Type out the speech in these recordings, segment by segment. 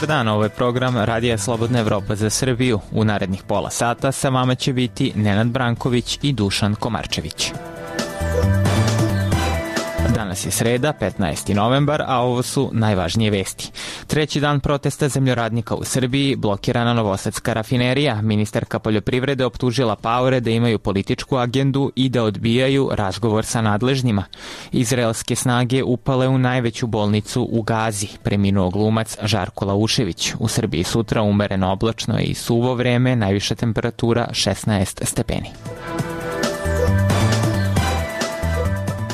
dan, ovo je program Radija Slobodna Evropa za Srbiju. U narednih pola sata sa vama će biti Nenad Branković i Dušan Komarčević. Danas je sreda, 15. novembar, a ovo su najvažnije vesti. Treći dan protesta zemljoradnika u Srbiji, blokirana novosadska rafinerija. Ministarka poljoprivrede optužila paore da imaju političku agendu i da odbijaju razgovor sa nadležnjima. Izraelske snage upale u najveću bolnicu u Gazi. Preminuo glumac Žarko Laušević. U Srbiji sutra umereno oblačno i suvo vreme, najviša temperatura 16 stepeni.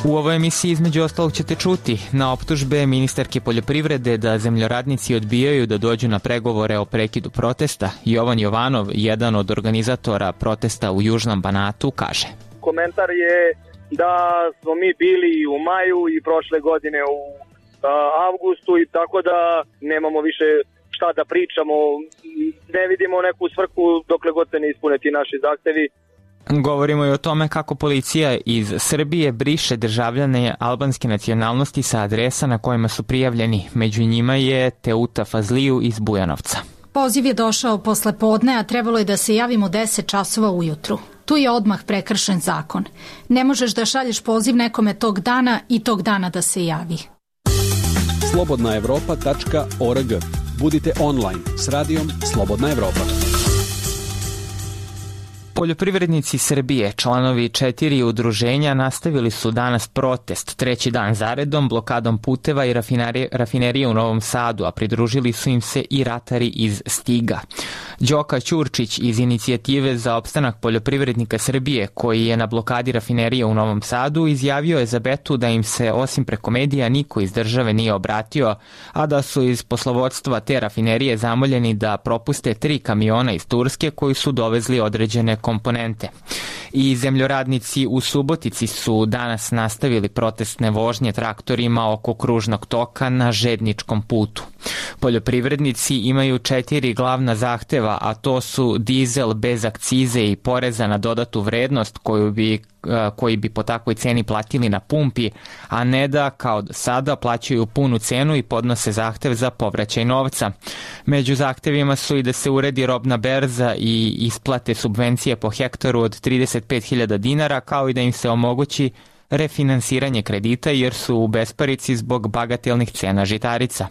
U ovoj emisiji između ostalog ćete čuti na optužbe ministarke poljoprivrede da zemljoradnici odbijaju da dođu na pregovore o prekidu protesta. Jovan Jovanov, jedan od organizatora protesta u Južnom Banatu, kaže: Komentar je da smo mi bili i u maju i prošle godine u avgustu i tako da nemamo više šta da pričamo, ne vidimo neku svrhu dokle god se ne ispune ti naši zahtevi. Govorimo i o tome kako policija iz Srbije briše državljane albanske nacionalnosti sa adresa na kojima su prijavljeni. Među njima je Teuta Fazliju iz Bujanovca. Poziv je došao posle podne, a trebalo je da se javimo 10 časova ujutru. Tu je odmah prekršen zakon. Ne možeš da šalješ poziv nekome tog dana i tog dana da se javi. slobodnaevropa.org. Budite online s radijom Slobodna Evropa. Poljoprivrednici Srbije, članovi 4 udruženja, nastavili su danas protest treći dan zaredom blokadom puteva i rafinerije u Novom Sadu, a pridružili su im se i ratari iz Stiga. Đoka Ćurčić iz Inicijative za opstanak poljoprivrednika Srbije, koji je na blokadi rafinerije u Novom Sadu, izjavio je za Betu da im se osim preko medija niko iz države nije obratio, a da su iz poslovodstva te rafinerije zamoljeni da propuste 3 kamiona iz Turske koji su dovezli određene komponente. I zemljoradnici u Subotici su danas nastavili protestne vožnje traktorima oko kružnog toka na žedničkom putu. Poljoprivrednici imaju 4 glavna zahteva, a to su dizel bez akcize i poreza na dodatu vrednost koji bi po takvoj ceni platili na pumpi, a ne da kao sada plaćaju punu cenu i podnose zahtev za povraćaj novca. Među zahtevima su i da se uredi robna berza i isplate subvencije po hektaru od 35.000 dinara, kao i da im se omogući refinansiranje kredita jer su u besparici zbog bagatelnih cena žitarica.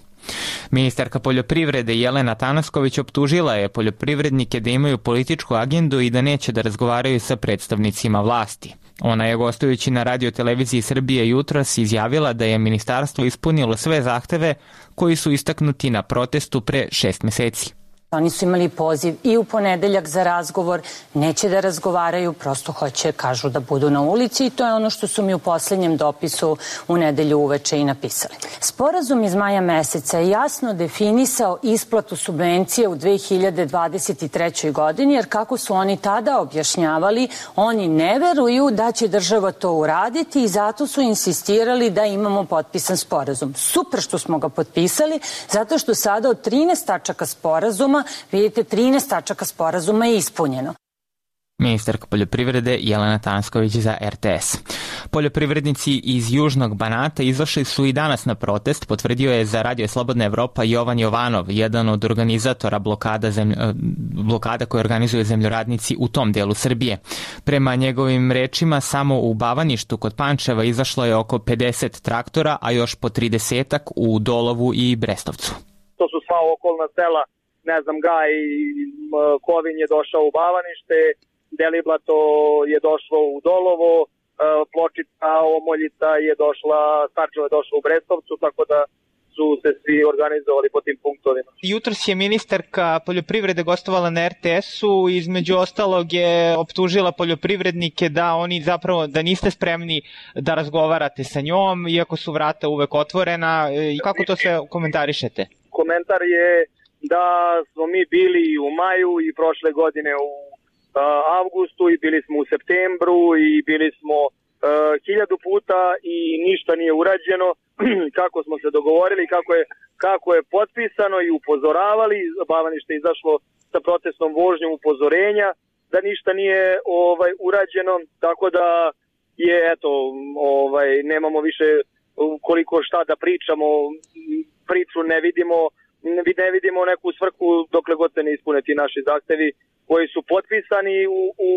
Ministarka poljoprivrede Jelena Tanasković optužila je poljoprivrednike da imaju političku agendu i da neće da razgovaraju sa predstavnicima vlasti. Ona je gostujući na Radio televiziji Srbije jutros izjavila da je ministarstvo ispunilo sve zahteve koji su istaknuti na protestu pre 6 meseci. Oni su imali poziv i u ponedeljak za razgovor, neće da razgovaraju, prosto hoće, kažu, da budu na ulici i to je ono što su mi u poslednjem dopisu u nedelju uveče i napisali. Sporazum iz maja meseca je jasno definisao isplatu subvencije u 2023. godini, jer kako su oni tada objašnjavali, oni ne veruju da će država to uraditi i zato su insistirali da imamo potpisan sporazum. Super što smo ga potpisali, zato što sada od 13 tačaka sporazuma vidite, 13 tačaka sporazuma je ispunjeno. Ministarka poljoprivrede Jelena Tanasković za RTS. Poljoprivrednici iz Južnog Banata izašli su i danas na protest, potvrdio je za Radio Slobodna Evropa Jovan Jovanov, jedan od organizatora blokada koje organizuju zemljoradnici u tom delu Srbije. Prema njegovim rečima, samo u Bavaništu kod Pančeva izašlo je oko 50 traktora, a još po 30-ak u Dolovu i Brestovcu. To su sva okolna sela, ne znam, Gaj i Kovin je došao u Bavanište, Deliblato je došlo u Dolovo, Pločica, Omoljica je došla, Starčevo je došlo u Brestovcu, tako da su se svi organizovali po tim punktovima. Jutros je ministarka poljoprivrede gostovala na RTS-u, između ostalog je optužila poljoprivrednike da oni zapravo, da niste spremni da razgovarate sa njom, iako su vrata uvek otvorena. Kako to sve komentarišete? Komentar je da smo mi bili i u maju i prošle godine u avgustu i bili smo u septembru i bili smo 1000 puta i ništa nije urađeno kako smo se dogovorili, kako je potpisano i upozoravali. Bavanište je izašlo sa protestnom vožnjom upozorenja da ništa nije urađeno, tako da je nemamo više koliko šta da pričamo, priču ne vidimo ne vidimo neku svrhu dokle god se ne ispune ti naši zahtevi koji su potpisani u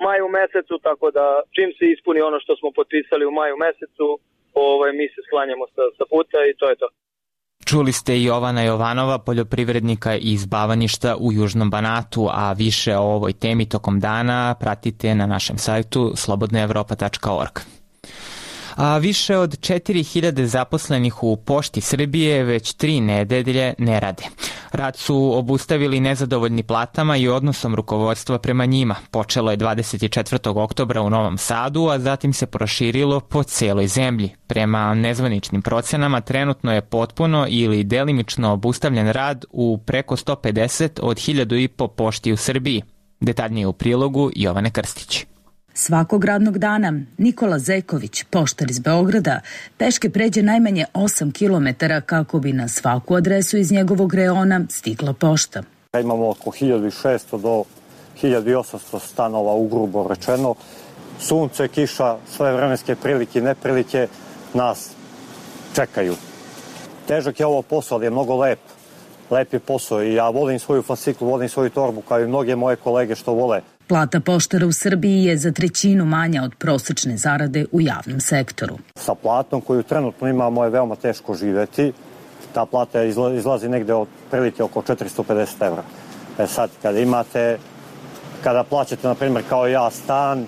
maju mesecu, tako da čim se ispuni ono što smo potpisali u maju mesecu, mi se sklanjamo sa puta i to je to. Čuli ste i Jovana Jovanova, poljoprivrednika iz Bavaništa u Južnom Banatu, a više o ovoj temi tokom dana pratite na našem sajtu slobodnaevropa.org. A više od 4000 zaposlenih u Pošti Srbije već 3 nedelje ne rade. Rad su obustavili nezadovoljni platama i odnosom rukovodstva prema njima. Počelo je 24. oktobra u Novom Sadu, a zatim se proširilo po celoj zemlji. Prema nezvaničnim procenama trenutno je potpuno ili delimično obustavljen rad u preko 150 od 1500 pošti u Srbiji. Detaljnije u prilogu Jovane Krstić. Svakog radnog dana Nikola Zeković, poštar iz Beograda, peške pređe najmanje 8 km kako bi na svaku adresu iz njegovog reona stigla pošta. Imamo oko 1600 do 1800 stanova, ugrubo rečeno. Sunce, kiša, sve vremenske prilike i neprilike nas čekaju. Težak je ovo posao, ali je mnogo lep. Lep je posao i ja volim svoju fasciklu, volim svoju torbu kao i mnoge moje kolege što vole. Plata poštara u Srbiji je za 1/3 manja od prosečne zarade u javnom sektoru. Sa platom koju trenutno imamo je veoma teško živeti. Ta plata izlazi negde od prilike oko 450 evra. Sad, kada plaćate, na primjer, kao ja, stan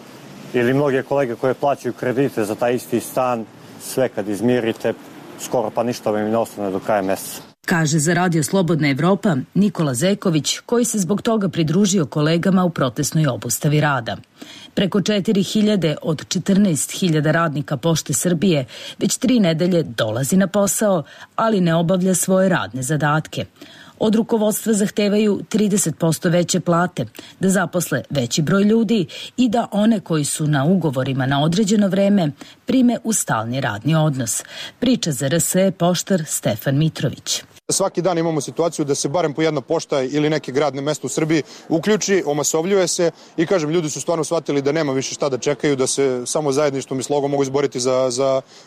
ili mnoge kolege koje plaćaju kredite za taj isti stan, sve kad izmirite, skoro pa ništa vam ne ostane do kraja meseca. Kaže za Radio Slobodna Evropa Nikola Zeković, koji se zbog toga pridružio kolegama u protestnoj obustavi rada. Preko 4000 od 14.000 radnika Pošte Srbije već 3 nedelje dolazi na posao, ali ne obavlja svoje radne zadatke. Od rukovodstva zahtevaju 30% veće plate, da zaposle veći broj ljudi i da one koji su na ugovorima na određeno vreme prime u stalni radni odnos. Priča za RSE poštar Stefan Mitrović. Svaki dan imamo situaciju da se barem po jedna pošta ili neke gradne mesto u Srbiji uključi, omasovljuje se i kažem, ljudi su stvarno shvatili da nema više šta da čekaju, da se samo zajedništvom i slogom mogu izboriti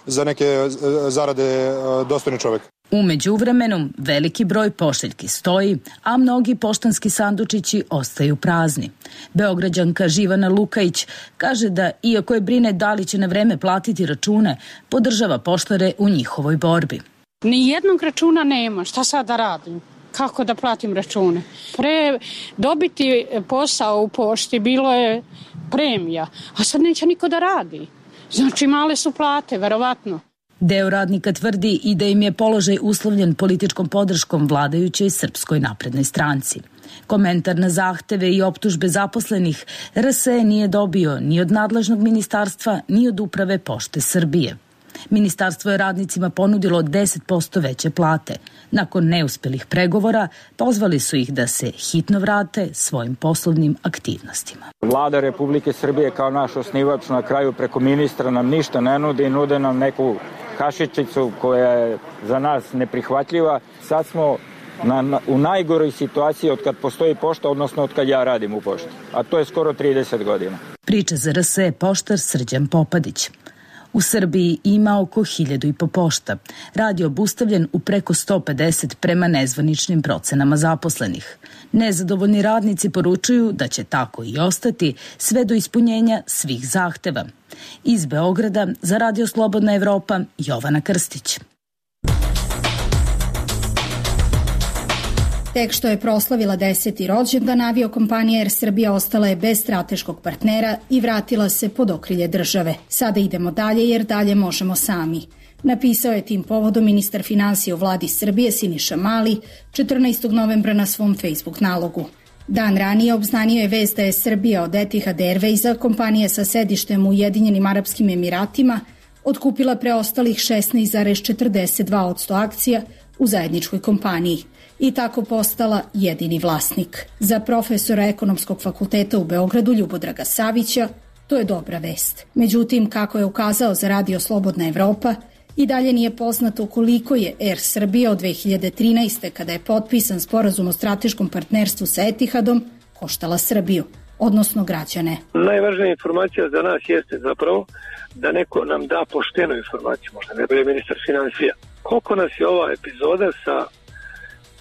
za neke zarade dostojne čoveka. U međuvremenu veliki broj pošiljki stoji, a mnogi poštanski sandučići ostaju prazni. Beograđanka Živana Lukajić kaže da, iako je brine da li će na vreme platiti račune, podržava poštare u njihovoj borbi. Ni jednog računa nema, šta sad da radim? Kako da platim račune? Pre dobiti posao u pošti bilo je premija, a sad neće niko da radi. Znači male su plate, verovatno. Deo radnika tvrdi i da im je položaj uslovljen političkom podrškom vladajućoj Srpskoj naprednoj stranci. Komentar na zahteve i optužbe zaposlenih RSE nije dobio ni od nadležnog ministarstva, ni od uprave Pošte Srbije. Ministarstvo je radnicima ponudilo 10% veće plate. Nakon neuspelih pregovora pozvali su ih da se hitno vrate svojim poslovnim aktivnostima. Vlada Republike Srbije kao naš osnivač na kraju preko ministra nam ništa ne nudi, nude nam neku kašičicu koja je za nas neprihvatljiva. Sad smo u najgoroj situaciji od kad postoji pošta, odnosno od kad ja radim u pošti, a to je skoro 30 godina. Priča za RSE poštar Srđan Popadić. U Srbiji ima oko 1500 pošta. Rad je obustavljen u preko 150 prema nezvaničnim procenama zaposlenih. Nezadovoljni radnici poručuju da će tako i ostati sve do ispunjenja svih zahteva. Iz Beograda za Radio Slobodna Evropa, Jovana Krstić. Tek što je proslavila 10. rođendan, aviokompanija Air Srbija ostala je bez strateškog partnera i vratila se pod okrilje države. Sada idemo dalje jer dalje možemo sami. Napisao je tim povodom ministar finansija u vladi Srbije Siniša Mali 14. novembra na svom Facebook nalogu. Dan ranije obznanio je vest da je Srbija od Etihad Airwaysa, kompanije sa sedištem u Ujedinjenim Arapskim Emiratima, otkupila preostalih 16,42% akcija u zajedničkoj kompaniji i tako postala jedini vlasnik. Za profesora Ekonomskog fakulteta u Beogradu Ljubodraga Savića to je dobra vest. Međutim, kako je ukazao za Radio Slobodna Evropa, i dalje nije poznato koliko je Air Srbija od 2013. kada je potpisan sporazum o strateškom partnerstvu sa Etihadom koštala Srbiju, odnosno građane. Najvažnija informacija za nas jeste zapravo da neko nam da poštenu informaciju, možda ne bude ministar finansija. Koliko nas je ova epizoda sa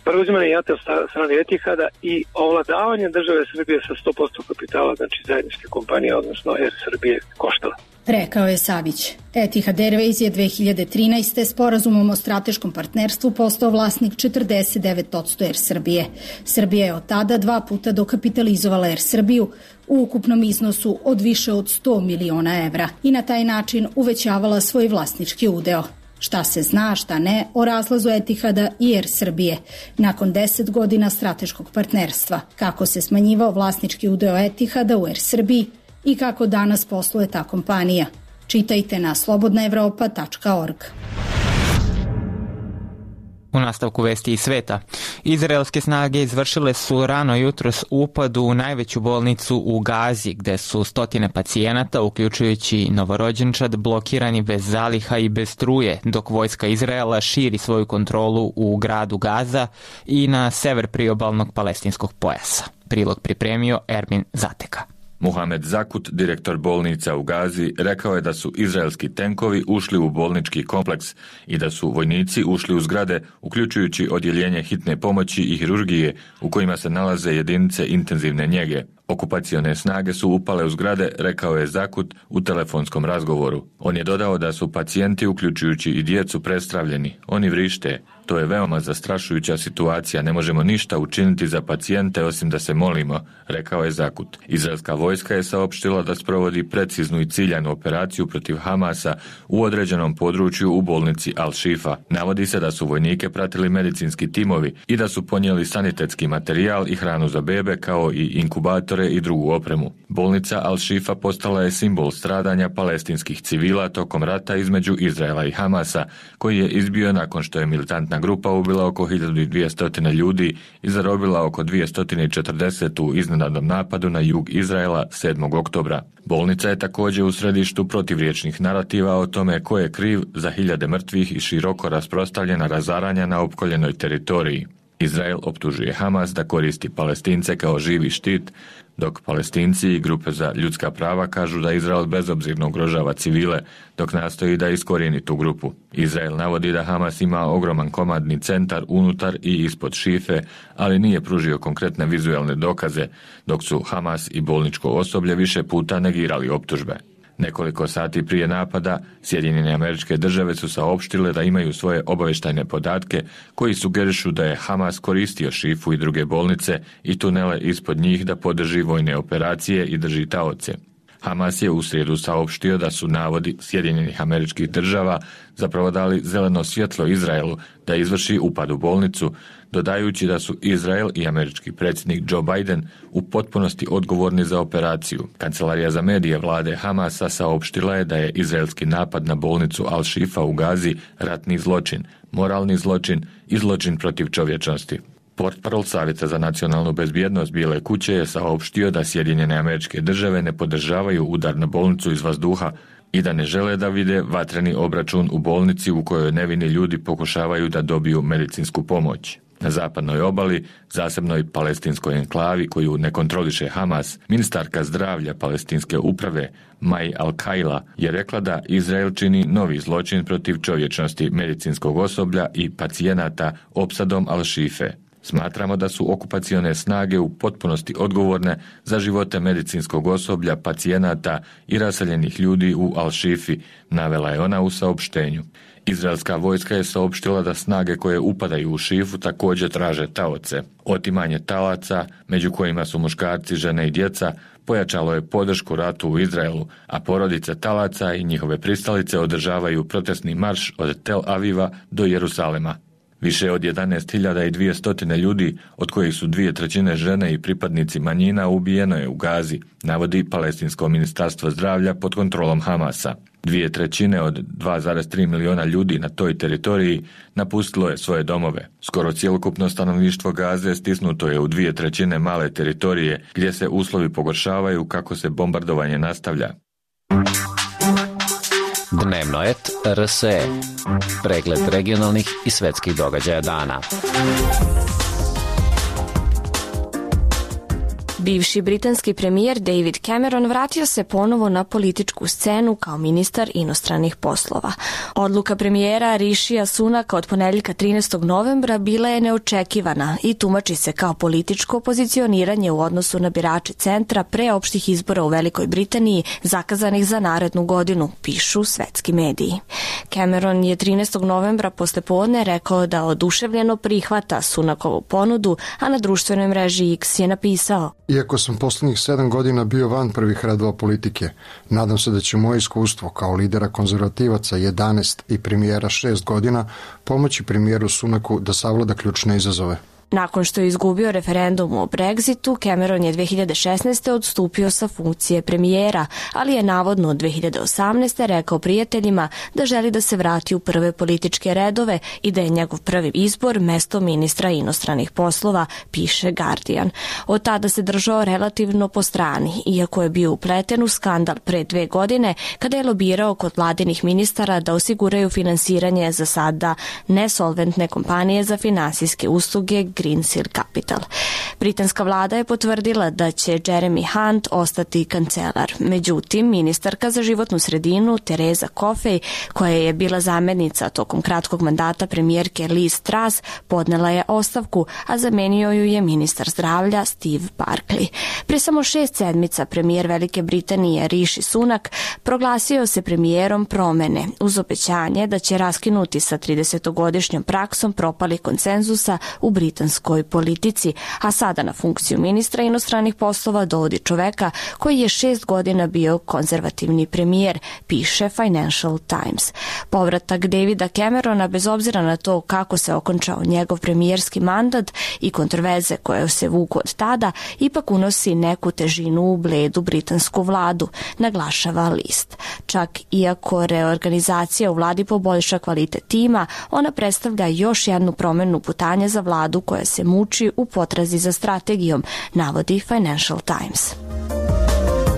preuzimanje JAT od strane Etihada i ovladavanje države Srbije sa 100% kapitala, znači zajedničke kompanije, odnosno Air Srbije koštala. Rekao je Savić. Etihad Airways je 2013. sporazumom o strateškom partnerstvu postao vlasnik 49% Air Srbije. Srbija je od tada 2 puta dokapitalizovala Air Srbiju u ukupnom iznosu od više od 100 miliona evra i na taj način uvećavala svoj vlasnički udeo. Šta se zna, šta ne, o razlazu Etihada i Air Srbije nakon 10 godina strateškog partnerstva, kako se smanjivao vlasnički udeo Etihada u Air Srbiji i kako danas posluje ta kompanija. Čitajte na slobodnaevropa.org. U nastavku vesti iz sveta, izraelske snage izvršile su rano jutros upad u najveću bolnicu u Gazi, gde su stotine pacijenata, uključujući novorođenčad, blokirani bez zaliha i bez struje, dok vojska Izraela širi svoju kontrolu u gradu Gaza i na sever priobalnog palestinskog pojasa. Prilog pripremio Ermin Zateka. Muhamed Zakut, direktor bolnica u Gazi, rekao je da su izraelski tenkovi ušli u bolnički kompleks i da su vojnici ušli u zgrade, uključujući odjeljenje hitne pomoći i hirurgije u kojima se nalaze jedinice intenzivne njege. Okupacione snage su upale u zgrade, rekao je Zakut u telefonskom razgovoru. On je dodao da su pacijenti, uključujući i djecu, prestravljeni. Oni vrište. To je veoma zastrašujuća situacija, ne možemo ništa učiniti za pacijente osim da se molimo, rekao je Zakut. Izraelska vojska je saopštila da sprovodi preciznu i ciljanu operaciju protiv Hamasa u određenom području u bolnici Al-Shifa. Navodi se da su vojnike pratili medicinski timovi i da su ponijeli sanitetski materijal i hranu za bebe, kao i inkubatore i drugu opremu. Bolnica Al-Shifa postala je simbol stradanja palestinskih civila tokom rata između Izraela i Hamasa, koji je izbio nakon što je militantna grupa ubila oko 1200 ljudi i zarobila oko 240 u iznenadnom napadu na jug Izraela 7. oktobra. Bolnica je također u središtu protivriječnih narativa o tome ko je kriv za hiljade mrtvih i široko rasprostranjena razaranja na opkoljenoj teritoriji. Izrael optužuje Hamas da koristi Palestince kao živi štit, dok Palestinci i grupe za ljudska prava kažu da Izrael bezobzirno ugrožava civile, dok nastoji da iskorijeni tu grupu. Izrael navodi da Hamas ima ogroman komandni centar unutar i ispod Šife, ali nije pružio konkretne vizualne dokaze, dok su Hamas i bolničko osoblje više puta negirali optužbe. Nekoliko sati prije napada, Sjedinjene Američke Države su saopštile da imaju svoje obavještajne podatke koji sugerišu da je Hamas koristio Šifu i druge bolnice i tunele ispod njih da podrži vojne operacije i drži taoce. Hamas je u srijedu saopštio da su navodi Sjedinjenih Američkih Država zapravo dali zeleno svjetlo Izraelu da izvrši upad u bolnicu, dodajući da su Izrael i američki predsjednik Joe Biden u potpunosti odgovorni za operaciju. Kancelarija za medije vlade Hamasa saopštila je da je izraelski napad na bolnicu Al-Shifa u Gazi ratni zločin, moralni zločin i zločin protiv čovječnosti. Portparol Savjeta za nacionalnu bezbjednost Bijele kuće je saopštio da Sjedinjene Američke Države ne podržavaju udar na bolnicu iz vazduha i da ne žele da vide vatreni obračun u bolnici u kojoj nevini ljudi pokušavaju da dobiju medicinsku pomoć. Na zapadnoj obali, zasebnoj palestinskoj enklavi koju ne kontroliše Hamas, ministarka zdravlja palestinske uprave Mai Al-Kaila je rekla da Izrael čini novi zločin protiv čovječnosti medicinskog osoblja i pacijenata opsadom Al-Shife. Smatramo da su okupacione snage u potpunosti odgovorne za živote medicinskog osoblja, pacijenata i raseljenih ljudi u Al-Shifi, navela je ona u saopštenju. Izraelska vojska je saopštila da snage koje upadaju u Šifu također traže taoce. Otimanje talaca, među kojima su muškarci, žene i djeca, pojačalo je podršku ratu u Izraelu, a porodice talaca i njihove pristalice održavaju protestni marš od Tel Aviva do Jerusalema. Više od 11.200 ljudi, od kojih su 2/3 žene i pripadnici manjina, ubijeno je u Gazi, navodi Palestinsko ministarstvo zdravlja pod kontrolom Hamasa. 2/3 od 2,3 miliona ljudi na toj teritoriji napustilo je svoje domove. Skoro cjelokupno stanovništvo Gaze stisnuto je u 2/3 male teritorije, gdje se uslovi pogoršavaju kako se bombardovanje nastavlja. Dnevno et RSE. Pregled regionalnih i svetskih događaja dana. Bivši britanski premijer David Cameron vratio se ponovo na političku scenu kao ministar inostranih poslova. Odluka premijera Rishija Sunaka od ponedeljka 13. novembra bila je neočekivana i tumači se kao političko pozicioniranje u odnosu na birače centra pre opštih izbora u Velikoj Britaniji zakazanih za narednu godinu, pišu svetski mediji. Cameron je 13. novembra poslepodne rekao da oduševljeno prihvata Sunakovu ponudu, a na društvenoj mreži X je napisao: Iako sam poslednjih 7 godina bio van prvih redova politike, nadam se da će moje iskustvo kao lidera konzervativaca 11 i premijera 6 godina pomoći premijeru Sunaku da savlada ključne izazove. Nakon što je izgubio referendum o Brexitu, Cameron je 2016. odstupio sa funkcije premijera, ali je navodno od 2018. rekao prijateljima da želi da se vrati u prve političke redove i da je njegov prvi izbor mesto ministra inostranih poslova, piše Guardian. Od tada se držao relativno po strani, iako je bio upleten u skandal pre 2 godine kada je lobirao kod vladinih ministara da osiguraju finansiranje za sada nesolventne kompanije za finansijske usluge Greensill Capital. Britanska vlada je potvrdila da će Jeremy Hunt ostati kancelar. Međutim, ministarka za životnu sredinu Teresa Coffey, koja je bila zamjenica tokom kratkog mandata premijerke Liz Truss, podnela je ostavku, a zamenio ju je ministar zdravlja Steve Barclay. Pre samo 6 sedmica premijer Velike Britanije Rishi Sunak proglasio se premijerom promene uz obećanje da će raskinuti sa 30-godišnjom praksom propalih konsenzusa u britanskoj politici, a sada na funkciju ministra inostranih poslova dovodi čoveka koji je 6 godina bio konzervativni premijer, piše Financial Times. Povratak Davida Camerona, bez obzira na to kako se okončao njegov premijerski mandat i kontroverze koje se vuku od tada, ipak unosi neku težinu u bledu britansku vladu, naglašava list. Čak iako reorganizacija u vladi poboljša kvalitet tima, ona predstavlja još jednu promenu putanja za vladu koja se muči u potrazi za strategijom, navodi Financial Times.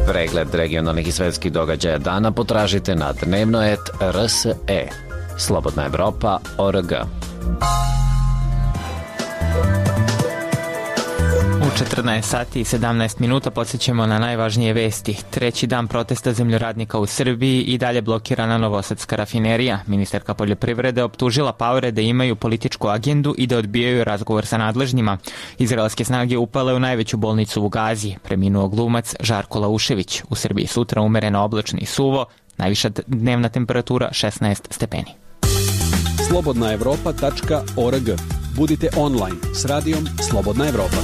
Pregled regionalnih i svetskih događaja dana potražite na dnevnoet.rse. Slobodna Evropa.org. U 14 sati i 17 minuta podsjećamo na najvažnije vesti. 3. dan protesta zemljoradnika u Srbiji i dalje blokirana novosadska rafinerija. Ministarka poljoprivrede optužila paore da imaju političku agendu i da odbijaju razgovor sa nadležnjima. Izraelske snage upale u najveću bolnicu u Gazi. Preminuo glumac Žarko Laušević. U Srbiji sutra umereno oblačno i suvo, najviša dnevna temperatura 16 stepeni. slobodnaevropa.org. Budite online s radijom Slobodna Evropa.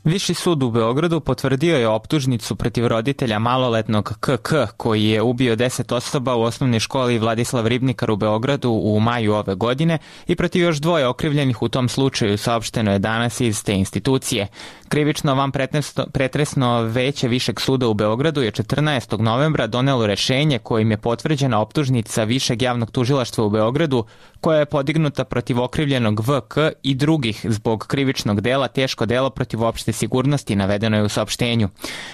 Viši sud u Beogradu potvrdio je optužnicu protiv roditelja maloletnog KK koji je ubio 10 osoba u osnovnoj školi Vladislav Ribnikar u Beogradu u maju ove godine i protiv još 2 okrivljenih u tom slučaju, saopšteno je danas iz te institucije. Krivično vanpretresno veće Višeg suda u Beogradu je 14. novembra donelo rešenje kojim je potvrđena optužnica Višeg javnog tužilaštva u Beogradu koja je podignuta protiv okrivljenog VK i drugih zbog krivičnog dela teško delo protiv opšte sigurnosti, navedeno je u saopštenju.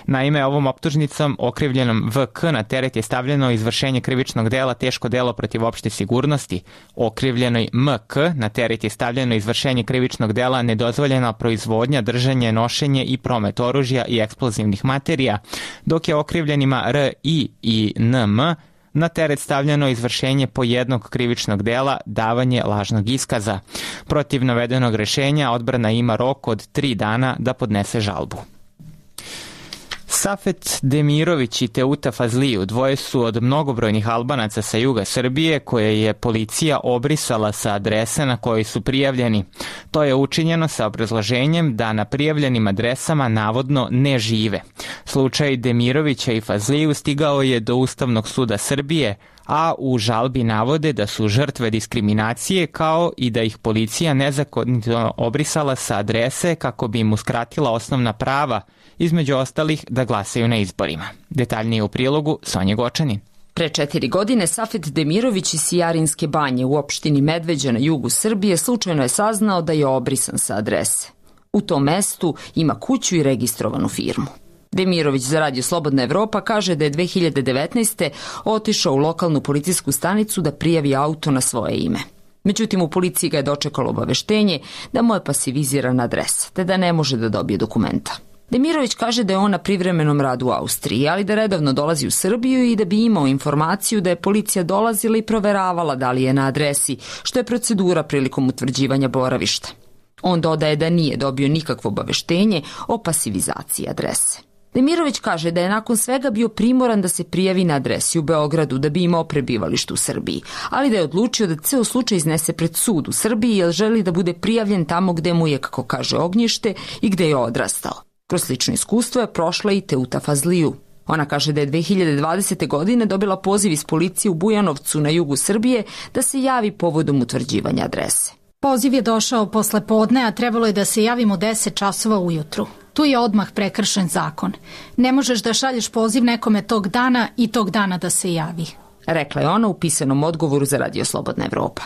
Naime, ovom optužnicom okrivljenom VK na teret je stavljeno izvršenje krivičnog dela teško delo protiv opšte sigurnosti. Okrivljenoj MK na teret je stavljeno izvršenje krivičnog dela nedozvoljena proizvodnja, držanje, nošenje i promet oružja i eksplozivnih materija, dok je okrivljenima RI i NM na teret stavljeno izvršenje po jednog krivičnog dela, davanje lažnog iskaza. Protiv navedenog rešenja odbrana ima rok od 3 dana da podnese žalbu. Safet Demirović i Teuta Fazliju, dvoje su od mnogobrojnih Albanaca sa juga Srbije koje je policija obrisala sa adrese na kojoj su prijavljeni. To je učinjeno sa obrazloženjem da na prijavljenim adresama navodno ne žive. Slučaj Demirovića i Fazliju stigao je do Ustavnog suda Srbije, a u žalbi navode da su žrtve diskriminacije kao i da ih policija nezakonito obrisala sa adrese kako bi im uskratila osnovna prava, između ostalih da glasaju na izborima. Detaljnije u prilogu Sonja Gočanin. Pre 4 godine Safet Demirović iz Sijarinske banje u opštini Medveđa na jugu Srbije slučajno je saznao da je obrisan sa adrese. U tom mestu ima kuću i registrovanu firmu. Demirović za Radio Slobodna Evropa kaže da je 2019. otišao u lokalnu policijsku stanicu da prijavi auto na svoje ime. Međutim, u policiji ga je dočekalo obaveštenje da mu je pasivizirana adresa, te da ne može da dobije dokumenta. Demirović kaže da je on na privremenom radu u Austriji, ali da redovno dolazi u Srbiju i da bi imao informaciju da je policija dolazila i proveravala da li je na adresi, što je procedura prilikom utvrđivanja boravišta. On dodaje da nije dobio nikakvo obaveštenje o pasivizaciji adrese. Demirović kaže da je nakon svega bio primoran da se prijavi na adresi u Beogradu da bi imao prebivalište u Srbiji, ali da je odlučio da ceo slučaj iznese pred sud u Srbiji jer želi da bude prijavljen tamo gde mu je, kako kaže, ognjište i gde je odrastao. Kroz slično iskustvo je prošla i Teuta Fazliju. Ona kaže da je 2020. godine dobila poziv iz policije u Bujanovcu na jugu Srbije da se javi povodom utvrđivanja adrese. Poziv je došao posle podne, a trebalo je da se javimo 10 časova ujutru. Tu je odmah prekršen zakon. Ne možeš da šalješ poziv nekome tog dana i tog dana da se javi, rekla je ona u pisanom odgovoru za Radio Slobodna Evropa.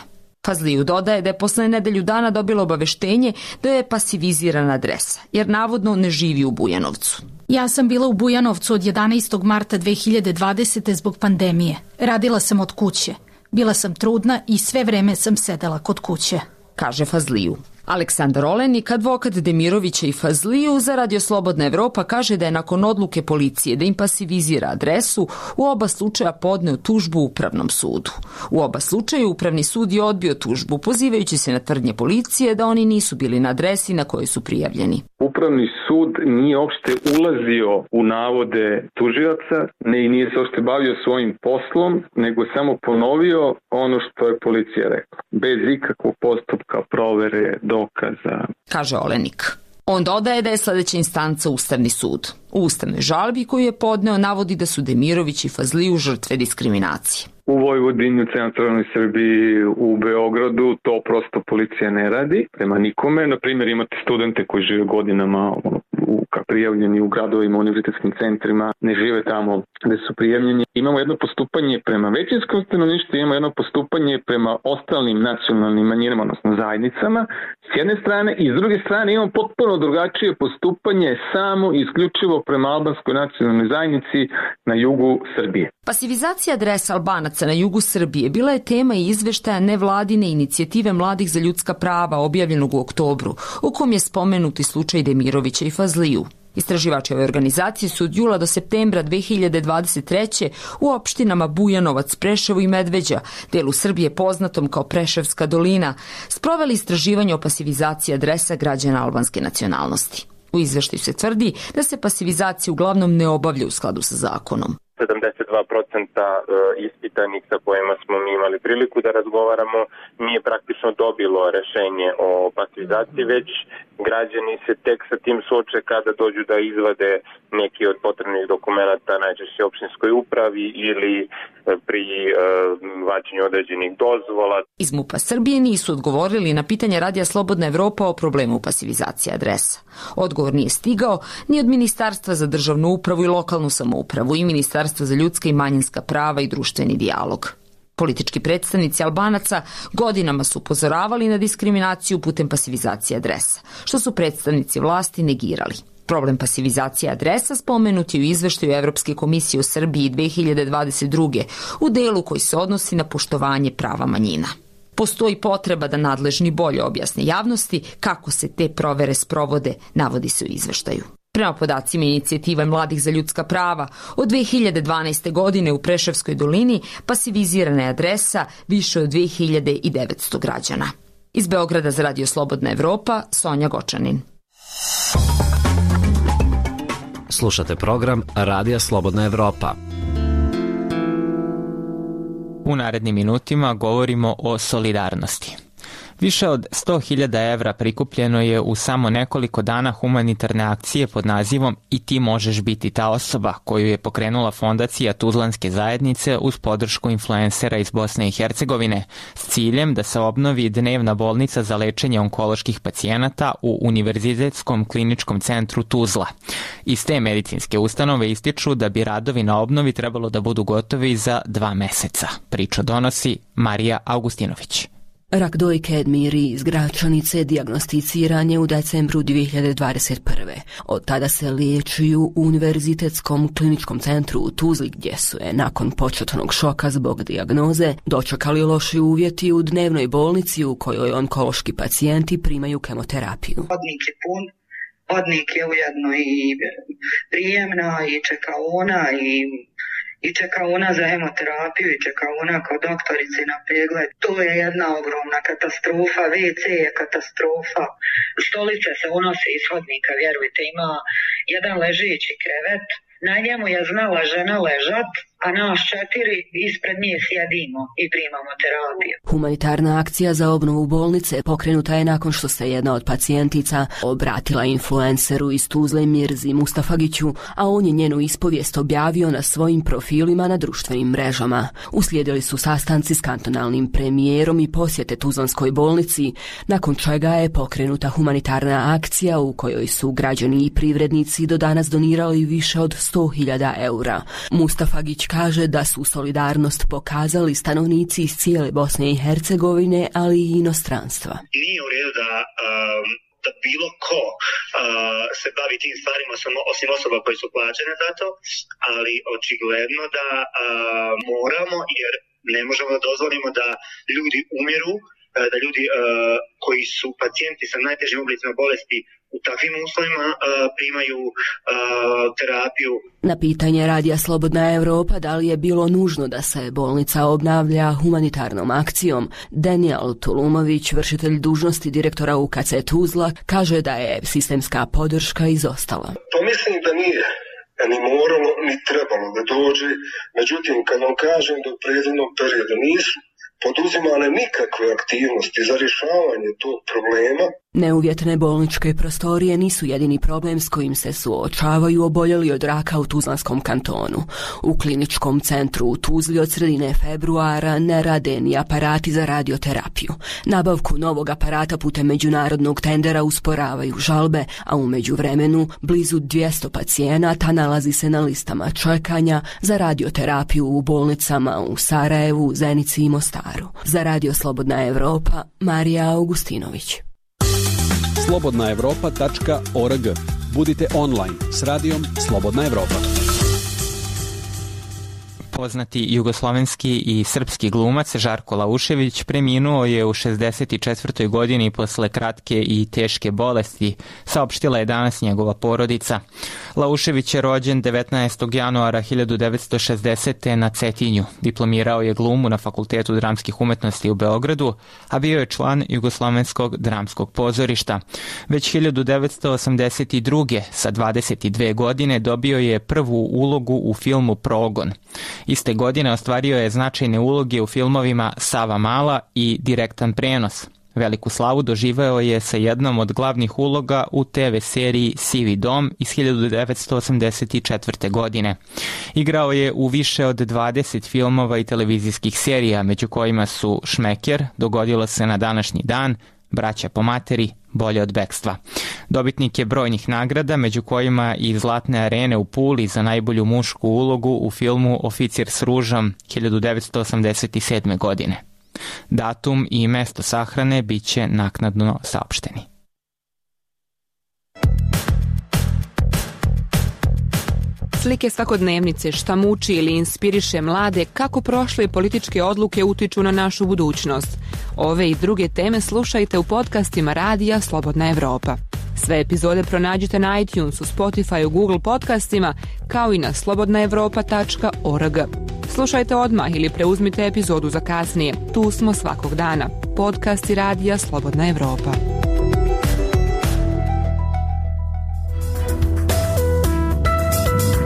Fazliju dodaje da je posle nedelju dana dobila obaveštenje da je pasivizirana adresa, jer navodno ne živi u Bujanovcu. Ja sam bila u Bujanovcu od 11. marta 2020. zbog pandemije. Radila sam od kuće. Bila sam trudna i sve vreme sam sedela kod kuće, kaže Fazliju. Aleksandar Olenik, advokat Demirovića i Fazliju za Radio Slobodna Evropa, kaže da je nakon odluke policije da im pasivizira adresu u oba slučaja podneo tužbu Upravnom sudu. U oba slučaja Upravni sud je odbio tužbu, pozivajući se na tvrdnje policije da oni nisu bili na adresi na kojoj su prijavljeni. Upravni sud nije uopšte ulazio u navode tužioca, i nije se uopšte bavio svojim poslom, nego samo ponovio ono što je policija rekla, bez ikakvog postupka, provere, dokaza, kaže Olenik. On dodaje da je sledeća instanca Ustavni sud. U ustavnoj žalbi koju je podneo navodi da su Demirović i Fazliju žrtve diskriminacije. U Vojvodini, u centralnoj Srbiji, u Beogradu to prosto policija ne radi prema nikome. Naprimjer, imate studente koji žive godinama prijavljeni u gradovima, univerzitetskim centrima, ne žive tamo gde su prijavljeni. Imamo jedno postupanje prema većinskom stanovništvu, imamo jedno postupanje prema ostalim nacionalnim manjinama, odnosno zajednicama, s jedne strane, i s druge strane imamo potpuno drugačije postupanje samo i isključivo prema albanskoj nacionalnoj zajednici na jugu Srbije. Pasivizacija adresa Albanaca na jugu Srbije bila je tema i izveštaja nevladine inicijative Mladih za ljudska prava objavljenog u oktobru, u kom je spomenuti slučaj Demirovića i Fazliju. Istraživači ove organizacije su od jula do septembra 2023. u opštinama Bujanovac, Preševo i Medveđa, delu Srbije poznatom kao Preševska dolina, sproveli istraživanje o pasivizaciji adresa građana albanske nacionalnosti. U izveštaju se tvrdi da se pasivizacija uglavnom ne obavlja u skladu sa zakonom. 72% ispitanih sa kojima smo mi imali priliku da razgovaramo nije praktično dobilo rešenje o pasivizaciji, već građani se tek sa tim suoče kada dođu da izvade neki od potrebnih dokumenta, najčešće opštinskoj upravi ili pri vađenju određenih dozvola. Iz MUP-a Srbije nisu odgovorili na pitanje Radija Slobodna Evropa o problemu pasivizacije adresa. Odgovor nije stigao ni od Ministarstva za državnu upravu i lokalnu samoupravu i Ministarstva za ljudska i manjinska prava i društveni dijalog. Politički predstavnici Albanaca godinama su upozoravali na diskriminaciju putem pasivizacije adresa, što su predstavnici vlasti negirali. Problem pasivizacije adresa spomenut je u izveštaju Evropske komisije o Srbiji 2022. u delu koji se odnosi na poštovanje prava manjina. Postoji potreba da nadležni bolje objasne javnosti kako se te provere sprovode, navodi se u izveštaju. Prema podacima inicijative Mladih za ljudska prava, od 2012. godine u Preševskoj dolini pasivizirana je adresa više od 2900 građana. Iz Beograda za Radio Slobodna Evropa, Sonja Gočanin. Slušate program Radija Slobodna Evropa. U narednim minutima govorimo o solidarnosti. Više od 100.000 evra prikupljeno je u samo nekoliko dana humanitarne akcije pod nazivom I ti možeš biti ta osoba, koju je pokrenula fondacija Tuzlanske zajednice uz podršku influencera iz Bosne i Hercegovine s ciljem da se obnovi dnevna bolnica za lečenje onkoloških pacijenata u Univerzitetskom kliničkom centru Tuzla. Iz te medicinske ustanove ističu da bi radovi na obnovi trebalo da budu gotovi za 2 meseca. Priču donosi Marija Augustinović. Rak dojke Edmiri iz Gračanice dijagnosticiran je u decembru 2021. Od tada se liječi u Univerzitetskom kliničkom centru u Tuzli, gdje su je nakon početnog šoka zbog dijagnoze dočekali loši uvjeti u dnevnoj bolnici u kojoj onkološki pacijenti primaju kemoterapiju. Hodnik je pun, hodnik je ujedno i prijemna i čekaona i čekaona za hemoterapiju i čekaona kod doktorice na pregled. To je jedna ogromna katastrofa, WC je katastrofa, stolice se unose iz hodnika, vjerujte, ima jedan ležeći krevet, na njemu je znala žena ležat, a nas 4 ispred nje sjedimo i primamo terapiju. Humanitarna akcija za obnovu bolnice pokrenuta je nakon što se jedna od pacijentica obratila influenceru iz Tuzle Mirzi Mustafagiću, a on je njenu ispovijest objavio na svojim profilima na društvenim mrežama. Uslijedili su sastanci s kantonalnim premijerom i posjete Tuzlanskoj bolnici, nakon čega je pokrenuta humanitarna akcija u kojoj su građani i privrednici do danas donirali više od 100.000 eura. Mustafagić kaže da su solidarnost pokazali stanovnici iz cijele Bosne i Hercegovine, ali i inostranstva. Nije u redu da bilo ko se bavi tim stvarima osim osoba koje su plaćene za to, ali očigledno da moramo, jer ne možemo da dozvolimo da ljudi umiru, da ljudi koji su pacijenti sa najtežim oblicima bolesti u takvim uslovima primaju terapiju. Na pitanje Radija Slobodna Evropa da li je bilo nužno da se bolnica obnavlja humanitarnom akcijom, Daniel Tulumović, vršitelj dužnosti direktora UKC Tuzla, kaže da je sistemska podrška izostala. Pa mislim da nije ni moralo, ni trebalo da dođe. Međutim, kad vam kažem da u prethodnom periodu nisu poduzimane nikakve aktivnosti za rješavanje tog problema. Neuvjetne bolničke prostorije nisu jedini problem s kojim se suočavaju oboljeli od raka u Tuzlanskom kantonu. U kliničkom centru u Tuzli od sredine februara ne rade ni aparati za radioterapiju. Nabavku novog aparata putem međunarodnog tendera usporavaju žalbe, a u međuvremenu blizu 200 pacijenata nalazi se na listama čekanja za radioterapiju u bolnicama u Sarajevu, Zenici i Mostaru. Za Radio Slobodna Evropa, Marija Augustinović. slobodnaevropa.org. Budite online s radijom Slobodna Evropa. Poznati jugoslovenski i srpski glumac Žarko Laušević preminuo je u 64. godini posle kratke i teške bolesti, saopštila je danas njegova porodica. Laušević je rođen 19. januara 1960. na Cetinju. Diplomirao je glumu na Fakultetu dramskih umetnosti u Beogradu, a bio je član Jugoslovenskog dramskog pozorišta. Već 1982. sa 22 godine dobio je prvu ulogu u filmu Progon. Iste godine ostvario je značajne uloge u filmovima Sava Mala i Direktan prenos. Veliku slavu doživeo je sa jednom od glavnih uloga u TV seriji Sivi dom iz 1984. godine. Igrao je u više od 20 filmova i televizijskih serija, među kojima su Šmeker, Dogodilo se na današnji dan, Braća po materi, Bolje od bekstva. Dobitnik je brojnih nagrada, među kojima i Zlatne arene u Puli za najbolju mušku ulogu u filmu Oficir s ružom 1987. godine. Datum i mesto sahrane bit će naknadno saopšteni. Slike svakodnevnice, šta muči ili inspiriše mlade, kako prošle političke odluke utiču na našu budućnost. Ove i druge teme slušajte u podcastima Radija Slobodna Evropa. Sve epizode pronađite na iTunesu, Spotifyu, Google podcastima, kao i na slobodnaevropa.org. Slušajte odmah ili preuzmite epizodu za kasnije. Tu smo svakog dana. Podcasti Radija Slobodna Evropa.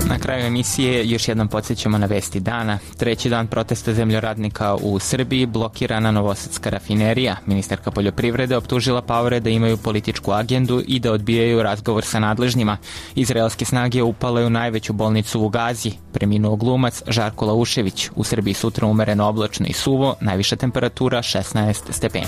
Na kraju emisije još jednom podsjećamo na vesti dana. Treći dan protesta zemljoradnika u Srbiji, blokirana Novosadska rafinerija. Ministarka poljoprivrede optužila paore da imaju političku agendu i da odbijaju razgovor sa nadležnjima. Izraelske snage upale u najveću bolnicu u Gazi. Preminuo glumac Žarko Laušević. U Srbiji sutra umereno oblačno i suvo, najviša temperatura 16 stepeni.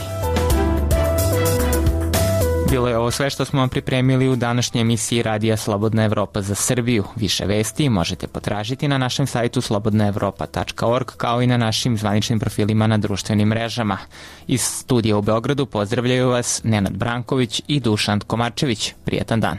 Bilo je ovo sve što smo vam pripremili u današnjoj emisiji Radija Slobodna Evropa za Srbiju. Više vesti možete potražiti na našem sajtu slobodnaevropa.org kao i na našim zvaničnim profilima na društvenim mrežama. Iz studija u Beogradu pozdravljaju vas Nenad Branković i Dušan Komarčević. Prijetan dan.